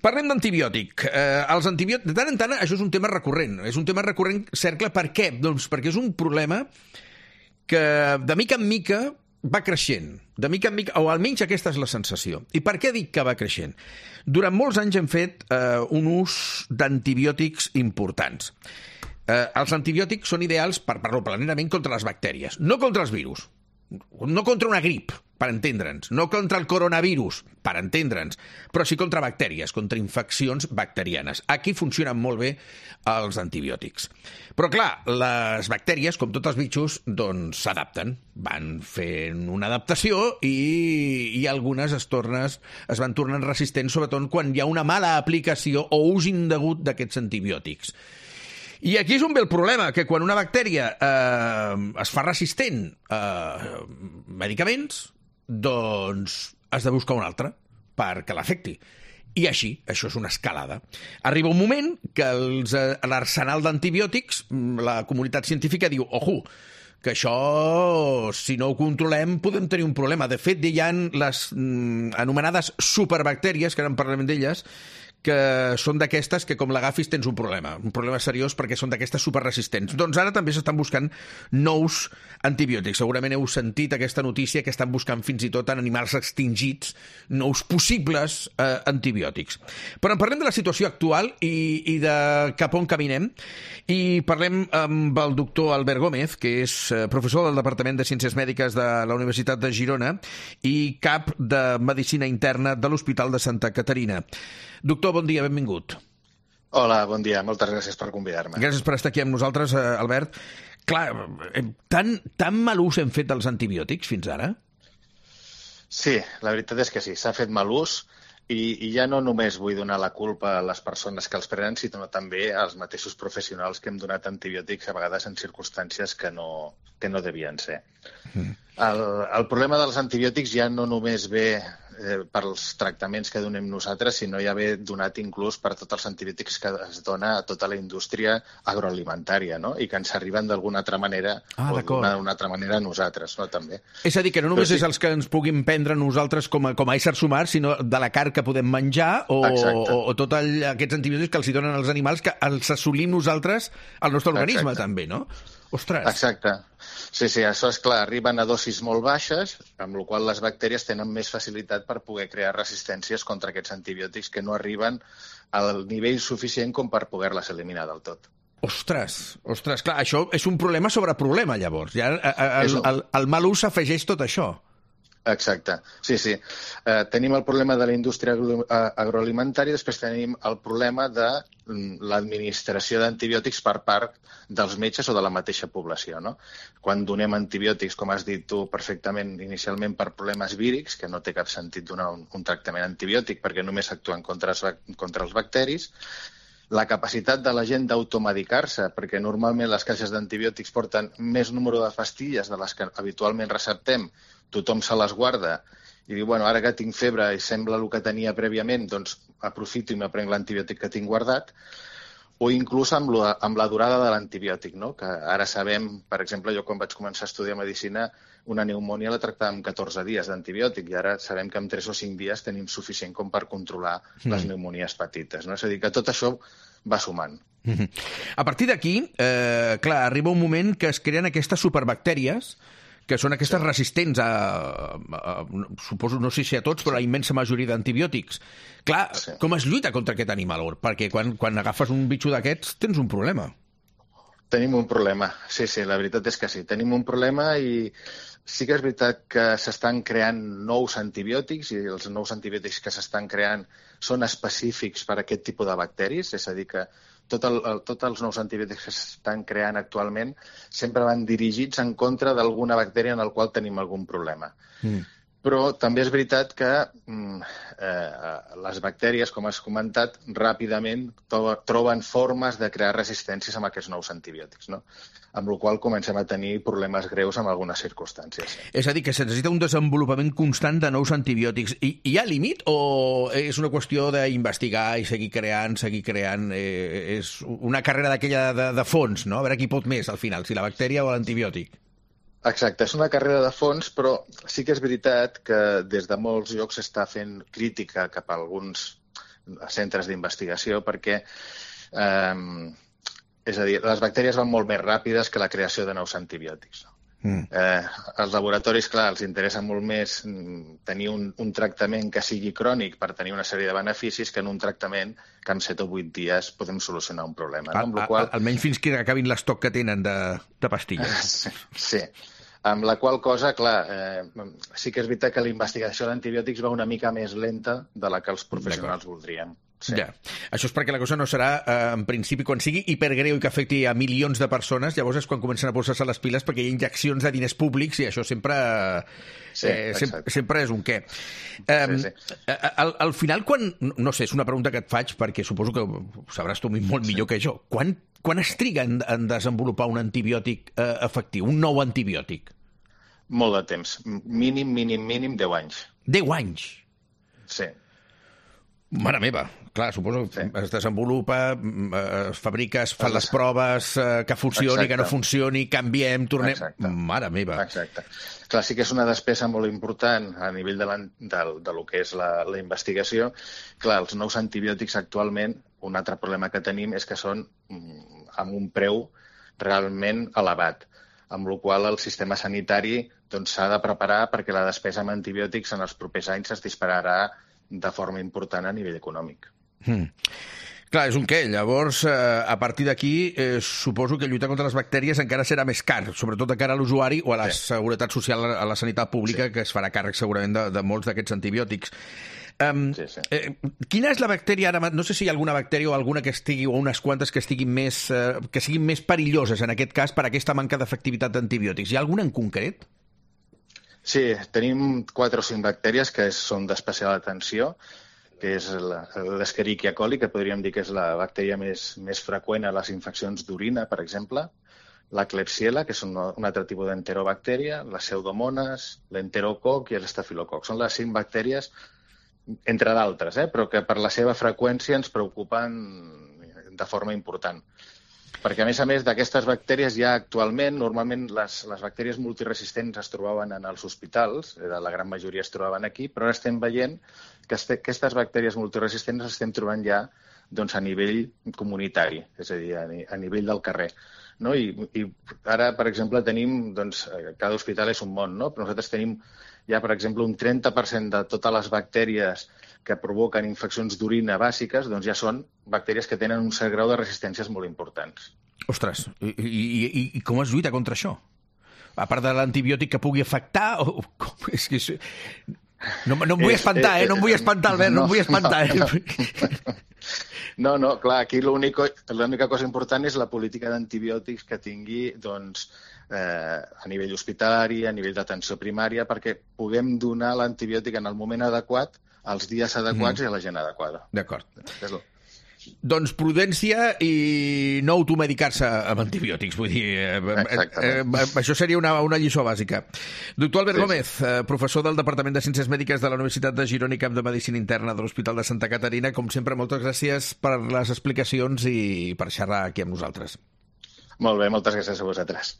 Parlem d'antibiòtic. Els antibiòtics, de tant en tant, això és un tema recurrent. És un tema recurrent, cercle, per què? Doncs perquè és un problema que, de mica en mica, va creixent. De mica en mica, o almenys aquesta és la sensació. I per què dic que va creixent? Durant molts anys hem fet un ús d'antibiòtics importants. Els antibiòtics són ideals, per parlar planerament, contra les bactèries, no contra els virus. No contra una grip, per entendre'ns, no contra el coronavirus, per entendre'ns, però sí contra bactèries, contra infeccions bacterianes. Aquí funcionen molt bé els antibiòtics. Però, clar, les bactèries, com tots els bitxos, doncs s'adapten. Van fent una adaptació i algunes es van tornant resistents, sobretot quan hi ha una mala aplicació o ús indegut d'aquests antibiòtics. I aquí és on ve el problema, que quan una bactèria es fa resistent a medicaments, doncs has de buscar una altra perquè l'afecti. I així, això és una escalada. Arriba un moment que l'arsenal d'antibiòtics, la comunitat científica diu, ojo, que això, si no ho controlem, podem tenir un problema. De fet, hi ha les anomenades superbactèries, que ara en parlarem d'elles, que són d'aquestes que com l'agafis tens un problema seriós perquè són d'aquestes superresistents. Doncs ara també s'estan buscant nous antibiòtics. Segurament heu sentit aquesta notícia que estan buscant fins i tot en animals extingits nous possibles antibiòtics. Però en parlem de la situació actual i de cap on caminem i parlem amb el doctor Albert Gómez, que és professor del Departament de Ciències Mèdiques de la Universitat de Girona i cap de Medicina Interna de l'Hospital de Santa Caterina. Doctor, bon dia, benvingut. Hola, bon dia, moltes gràcies per convidar-me. Gràcies per estar aquí amb nosaltres, Albert. Clar, tan mal ús hem fet dels antibiòtics fins ara? Sí, la veritat és que sí, s'ha fet mal ús i ja no només vull donar la culpa a les persones que els prenen, sinó també als mateixos professionals que hem donat antibiòtics a vegades en circumstàncies que no devien ser. El problema dels antibiòtics ja no només ve pels tractaments que donem nosaltres, sinó ja ve donat inclús per tots els antibiòtics que es dona a tota la indústria agroalimentària, no? I que ens arriben d'alguna altra manera d'una altra manera a nosaltres, no? També. És a dir, que no només és els que ens puguin prendre nosaltres com a éssers humans, sinó de la carn que podem menjar o tots aquests antibiòtics que els donen als animals que els assolim nosaltres al nostre organisme també, no? Ostres! Exacte. Sí, això és clar, arriben a dosis molt baixes, amb la qual les bactèries tenen més facilitat per poder crear resistències contra aquests antibiòtics que no arriben al nivell suficient com per poder-les eliminar del tot. Ostres, clar, això és un problema sobre problema, llavors. Ja el mal ús afegeix tot això. Exacte, sí. Tenim el problema de la indústria agroalimentària i després tenim el problema de l'administració d'antibiòtics per part dels metges o de la mateixa població, no? Quan donem antibiòtics, com has dit tu perfectament inicialment, per problemes vírics, que no té cap sentit donar un tractament antibiòtic perquè només actuen contra els bacteris, la capacitat de la gent d'automedicar-se, perquè normalment les caixes d'antibiòtics porten més número de pastilles de les que habitualment receptem, tothom se les guarda i diu, bueno, ara que tinc febre i sembla el que tenia prèviament, doncs aprofito i m'aprenc l'antibiòtic que tinc guardat, o inclús amb la durada de l'antibiòtic, no? Que ara sabem, per exemple, jo quan vaig començar a estudiar medicina, una pneumònia la tractàvem 14 dies d'antibiòtic i ara sabem que en 3 o 5 dies tenim suficient com per controlar les pneumonies petites, no? És a dir, que tot això va sumant. A partir d'aquí, clar, arriba un moment que es creen aquestes superbactèries que són aquestes resistents suposo, no sé si a tots, però a la immensa majoria d'antibiòtics. Clar, com es lluita contra aquest animal? Perquè quan agafes un bitxo d'aquests tens un problema. Tenim un problema, sí, la veritat és que sí. Tenim un problema i sí que és veritat que s'estan creant nous antibiòtics i els nous antibiòtics que s'estan creant són específics per a aquest tipus de bacteris, és a dir, que tots els nous antibiòtics que s'estan creant actualment sempre van dirigits en contra d'alguna bactèria en la qual tenim algun problema. Però també és veritat que les bactèries, com has comentat, ràpidament troben formes de crear resistències amb aquests nous antibiòtics, no? Amb la qual cosa comencem a tenir problemes greus en algunes circumstàncies. És a dir, que se necessita un desenvolupament constant de nous antibiòtics. I hi ha límit o és una qüestió d'investigar i seguir creant? És una carrera d'aquella de fons, no? A veure qui pot més al final, si la bactèria o l'antibiòtic. Exacte, és una carrera de fons, però sí que és veritat que des de molts llocs s'està fent crítica cap a alguns centres d'investigació, perquè és a dir, les bactèries van molt més ràpides que la creació de nous antibiòtics. Els laboratoris, clar, els interessa molt més tenir un tractament que sigui crònic per tenir una sèrie de beneficis que en un tractament que en 7 o 8 dies podem solucionar un problema. No? Amb la qual... Almenys fins que acabin l'estoc que tenen de pastilles. Sí. Amb la qual cosa, clar, sí que és veritat que la investigació d'antibiòtics va una mica més lenta de la que els professionals voldrien. Sí. Ja. Això és perquè la cosa no serà, en principi, quan sigui hipergreu i que afecti a milions de persones, llavors és quan comencen a posar-se les piles perquè hi ha injeccions de diners públics i això sempre, sempre és un què. Al final, quan... No sé, és una pregunta que et faig perquè suposo que ho sabràs tu molt millor que jo. Quan es triga en desenvolupar un antibiòtic efectiu, un nou antibiòtic? Molt de temps. Mínim 10 anys. 10 anys? Sí. Mare meva, clar, suposo que es desenvolupa, es fabrica, es fan les proves, que funcioni, que no funcioni, canviem, tornem... Mare meva. Exacte. Clar, sí que és una despesa molt important a nivell de lo que és la investigació. Clar, els nous antibiòtics actualment, un altre problema que tenim és que són amb un preu realment elevat, amb la qual el sistema sanitari s'ha de preparar perquè la despesa amb antibiòtics en els propers anys es dispararà de forma important a nivell econòmic. Clar, és un què. Llavors, a partir d'aquí, suposo que lluitar contra les bactèries encara serà més car, sobretot de cara a l'usuari o a la seguretat social, a la sanitat pública, que es farà càrrec segurament de molts d'aquests antibiòtics. Quina és la bactèria ara? No sé si hi ha alguna bactèria o alguna que estigui, o unes quantes que siguin més perilloses, en aquest cas, per aquesta manca d'efectivitat d'antibiòtics. Hi ha alguna en concret? Sí, tenim 4 o 5 bactèries que són d'especial atenció, que és l'Escherichia coli, que podríem dir que és la bactèria més freqüent a les infeccions d'orina, per exemple, la Klebsiella, que és un altre tipus d'enterobactèria, les Pseudomonas, l'enterococ i l'estafilococ. Són les 5 bactèries, entre d'altres, però que per la seva freqüència ens preocupen de forma important. Perquè, a més, d'aquestes bactèries ja actualment, normalment les bactèries multiresistents es trobaven en els hospitals, la gran majoria es trobaven aquí, però ara estem veient que aquestes bactèries multiresistents les estem trobant ja a nivell comunitari, és a dir, a nivell del carrer. No? I ara, per exemple, tenim, cada hospital és un món, no? Però nosaltres tenim ja, per exemple, un 30% de totes les bactèries que provoquen infeccions d'orina bàsiques, ja són bactèries que tenen un cert grau de resistències molt importants. Ostres, i com es lluita contra això? A part de l'antibiòtic que pugui afectar? És que... No em vull espantar, no em vull espantar, Albert, no em vull espantar. No, clar, aquí l'única cosa important és la política d'antibiòtics que tingui a nivell hospitalari, a nivell d'atenció primària, perquè puguem donar l'antibiòtic en el moment adequat, als dies adequats i a la gent adequada. D'acord. Doncs prudència i no automedicar-se amb antibiòtics, vull dir, això seria una lliçó bàsica. Doctor Albert Gómez, professor del Departament de Ciències Mèdiques de la Universitat de Girona i cap de Medicina Interna de l'Hospital de Santa Caterina, com sempre, moltes gràcies per les explicacions i per xerrar aquí amb nosaltres. Molt bé, moltes gràcies a vosaltres.